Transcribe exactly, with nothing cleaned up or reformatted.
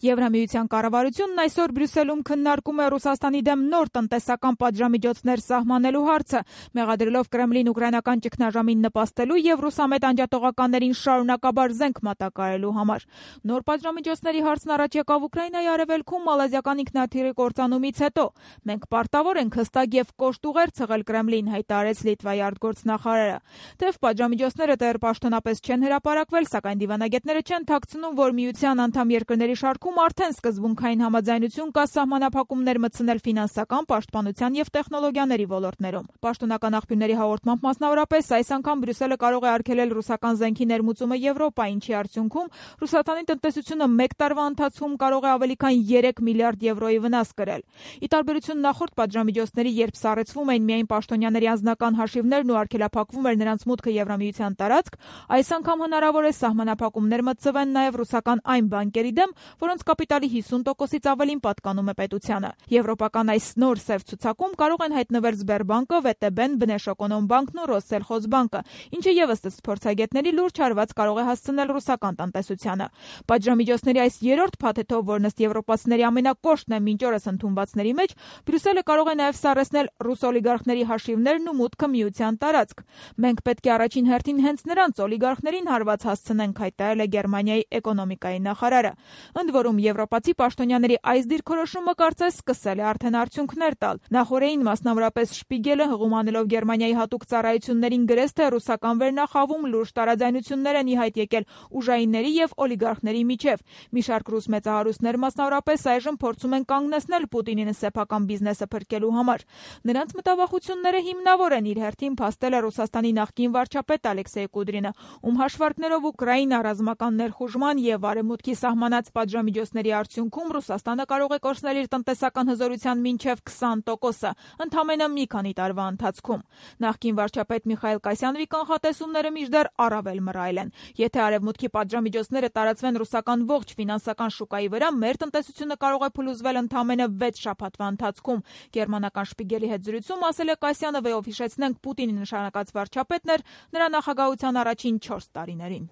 Եվրամիության կառավարությունն այսօր Բրյուսելում քննարկում է Ռուսաստանի դեմ նոր տնտեսական պատժամիջոցներ սահմանելու հարցը, մեղադրելով Կրեմլին ուկրաինական ճգնաժամին նպաստելու եւ ռուսամետ անջատողականներին շարունակաբար զենք մատակարարելու համար։ Նոր պատժամիջոցների հարցն առաջ եկավ Ուկրաինայի արևելքում մալազիական ինքնաթիռի կործանումից հետո։ Մենք պարտավոր ենք հստակ եւ կոշտ ուղեր ցղել Կրեմլին, հայտարարեց Լիտվայի արտգործնախարարը։ Թեև պատժամիջոցները դեռ պաշտոնապես չեն հրապարակվել, սակայն դիվանագետները չեն թաքցնում, որ միության անդամ երկրների շարքում արդեն սկզբունքային համաձայնություն կա սահմանափակումներ մտցնել ֆինանսական, պաշտպանության եւ տեխնոլոգիաների ոլորտներում։ Պաշտոնական աղբյուրների հաղորդմամբ մասնավորապես այս անգամ Բրյուսելը կարող է արգելել ռուսական զենքի ներմուծումը Եվրոպա, ինչի արդյունքում Ռուսաստանի տնտեսությունը մեկ տարվա ընթացքում կարող է ավելի քան երեք միլիարդ եվրոյի վնաս կրել։ Ի տարբերություն նախորդ պատժամիջոցների, երբ սառեցվում էին միայն պաշտոնյաների անձնական հաշիվներն ու արգելափակվում էր նրանց մուտքը Եվրամիության տարածք, այս անգամ հնարավոր է սահմանափակումներ մտցվեն նաեւ ռուսական այն բանկերի դեմ, որոնց կապիտալի հիսուն տոկոսից ավելին պատկանում է պետությանը։ Եվրոպական այս նոր սև ցուցակում կարող են հայտնվել Սբերբանկը, ՎՏԲ-ն, Բնեշոկոնոմբանկն ու Ռոսսելխոզբանկը, ինչը եւս ըստ փորձագետների լուրջ հարված կարող է հասցնել ռուսական տնտեսությանը։ Պատժամիջոցների այս երրորդ փաթեթով, որն ըստ եվրոպացիների ամենակոշտն է մինչ օրս ընդունվածների մեջ, Բրյուսելը կարող է նաեւ սառեցնել ռուս օլիգարխների հաշիվներն ու մուտքը միության տարածք։ Մենք պետք է առաջին հերթին հենց նրանց օլիգարխներին հարված հասցնենք, հայտարարել է Գերմանիայի էկոնոմիկայի նախարարը։ Ընդ որում եվրոպացի պաշտոնյաների այս դիրքորոշումը կարծես սկսել է արդեն արդյունքներ տալ։ Նախորդին մասնավորապես Շպիգելը հղումանելով Գերմանիայի հատուկ ծառայություններին գրեց, թե ռուսական վերնախավում լուրջ տարաձայնություններ են ի հայտ եկել ուժայինների եւ օլիգարխների միջև։ Մի շարք ռուս մեծահարուստներ մասնավորապես այժմ փորձում են կանգնեցնել Պուտինին սեփական բիզնեսը փրկելու համար։ Նրանց մտավախությունները հիմնավոր են իր հերթին փաստել է Ռուսաստանի նախկին վարչապետ Ալեքսեյ Կուդրինը, ում հաշվարկներով Ուկրաինա ռազմական ներխուժման եւ արևմուտքի սահմանած պատժամիջոցների արդյունքում Ռուսաստանը կարող է կորցնել իր տնտեսական հզորության մինչև քսան տոկոսը, ընդամենը մի քանի տարվա ընթացքում։ Նախկին վարչապետ Միխայիլ Կասյանովի կանխատեսումները մինչդեռ առավել մռայլ են։ Եթե արևմուտքի պատժամիջոցները տարածվեն ռուսական ողջ ֆինանսական շուկայի վրա, մեր տնտեսությունը կարող է փլուզվել ընդամենը վեց շաբաթվա ընթացքում։ Գերմանական Շպիգելի հետ զրույցում ասել է Կասյանովը, ով հիշեցնենք Պուտինի նշանակած վարչապետն էր նրա նախագահության առաջին չորս տարիներին։